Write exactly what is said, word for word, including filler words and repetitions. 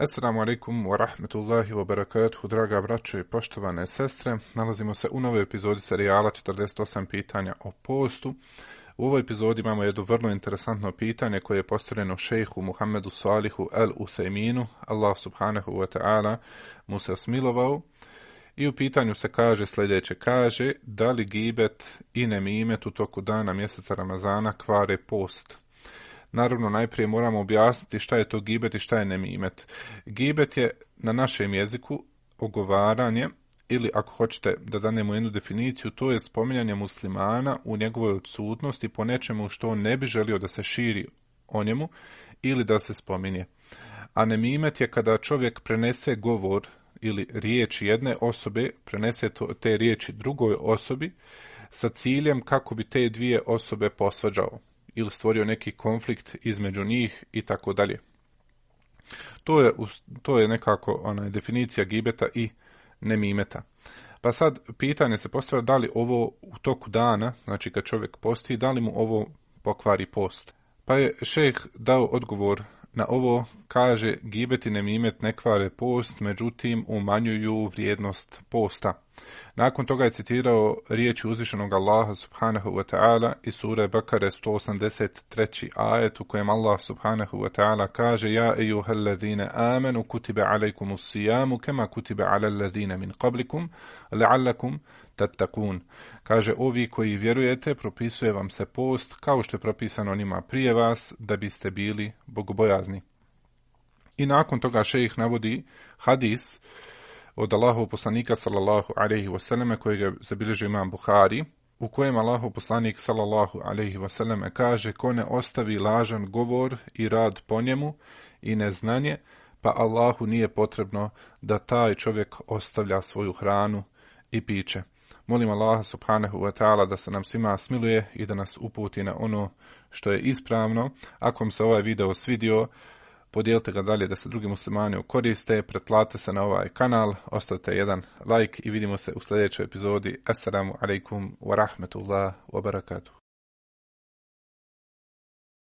Assalamu alaikum wa rahmetullahi wa barakatuhu, draga braćo i poštovane sestre. Nalazimo se u novoj epizodi serijala četrdeset osam pitanja o postu. U ovoj epizodi imamo jedno vrlo interesantno pitanje koje je postavljeno šejhu Muhammedu Salihu el Uthejminu. Allah subhanahu wa ta'ala mu se osmilovao. I u pitanju se kaže sljedeće, kaže da li gibet i nemimet u toku dana mjeseca Ramazana kvare post? Naravno, najprije moramo objasniti šta je to gibet i šta je nemimet. Gibet je na našem jeziku ogovaranje, ili ako hoćete da danemo jednu definiciju, to je spominjanje muslimana u njegovoj odsutnosti po nečemu što on ne bi želio da se širi o njemu ili da se spominje. A nemimet je kada čovjek prenese govor ili riječ jedne osobe, prenese to, te riječi drugoj osobi sa ciljem kako bi te dvije osobe posvađao ili stvorio neki konflikt između njih i tako dalje. To je, to je nekako ona definicija gibeta i nemimeta. Pa sad pitanje se postavlja da li ovo u toku dana, znači kad čovjek posti, da li mu ovo pokvari post. Pa je šejh dao odgovor na ovo, kaže gibet i nemimet ne kvare post, međutim umanjuju vrijednost posta. Nakon toga je citirao riječi uzvišenog Allaha subhanahu wa ta'ala iz sure Bekare sto osamdeset treći ajet u kojem Allah subhanahu wa ta'ala kaže ja ejuhallazine amenu kutibe alejkumus sijamu kema kutibe alallazine min qablikum la'allakum tattaqun. Kaže ovi koji vjerujete propisuje vam se post kao što je propisano onima prije vas da biste bili bogobojazni. I nakon toga šejh navodi hadis od Allahov poslanika sallallahu alejhi ve selleme kojeg zabilježio imam Buhari, u kojem Allahov poslanik sallallahu alejhi ve selleme kaže ko ne ostavi lažan govor i rad po njemu i neznanje, pa Allahu nije potrebno da taj čovjek ostavlja svoju hranu i piće. Molim Allaha subhanahu wa ta'ala da se nam svima smiluje i da nas uputi na ono što je ispravno. Ako vam se ovaj video svidio, podijelite ga dalje da se drugi muslimani koriste, pretplatite se na ovaj kanal, ostavite jedan like i vidimo se u sljedećoj epizodi. Assalamu alaikum wa rahmetullah wa barakatuh.